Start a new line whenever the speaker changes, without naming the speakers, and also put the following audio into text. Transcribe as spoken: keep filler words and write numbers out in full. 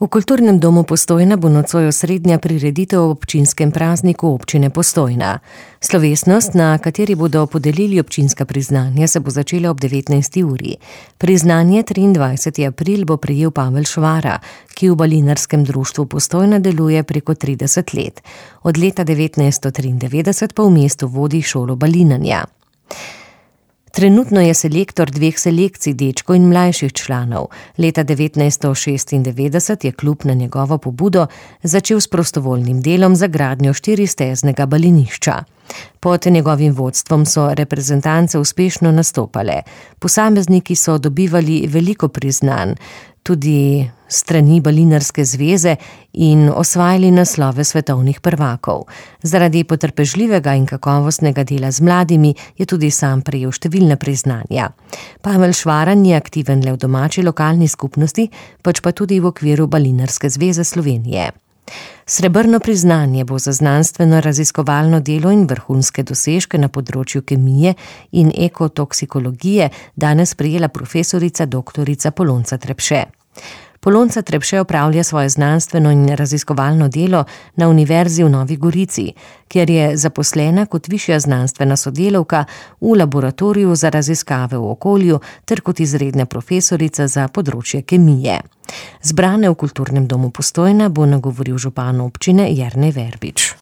V Kulturnem domu Postojna bo nocoj osrednja prireditev ob občinskem prazniku občine Postojna. Slovesnost, na kateri bodo podelili občinska priznanja, se bo začela ob devetnajsti uri. Priznanje triindvajseti april bo prejel Pavel Švara, ki v Balinarskem društvu Postojna deluje preko trideset let. Od leta devetnajststo triindevetdeset pa v mestu vodi šolo balinanja. Trenutno je selektor dveh selekcij, dečkov in mlajših članov. Leta devetnajststo šestindevetdeset je klub na njegovo pobudo začel s prostovoljnim delom za gradnjo štiristeznega balinišča. Pod njegovim vodstvom so reprezentance uspešno nastopale. Posamezniki so dobivali veliko priznanj, tudi strani Balinarske zveze, in osvajali naslove svetovnih prvakov. Zaradi potrpežljivega in kakovostnega dela z mladimi je tudi sam prejel številna priznanja. Pavel Švara ni aktiven le v domači lokalni skupnosti, pač pa tudi v okviru Balinarske zveze Slovenije. Srebrno priznanje bo za znanstveno raziskovalno delo in vrhunske dosežke na področju kemije in ekotoksikologije danes prejela profesorica doktorica Polonca Trepše. Polonca Trepše opravlja svoje znanstveno in raziskovalno delo na Univerzi v Novi Gorici, kjer je zaposlena kot višja znanstvena sodelavka v laboratoriju za raziskave v okolju ter kot izredna profesorica za področje kemije. Zbrane v Kulturnem domu Postojna bo nagovoril župan občine Jernej Verbič.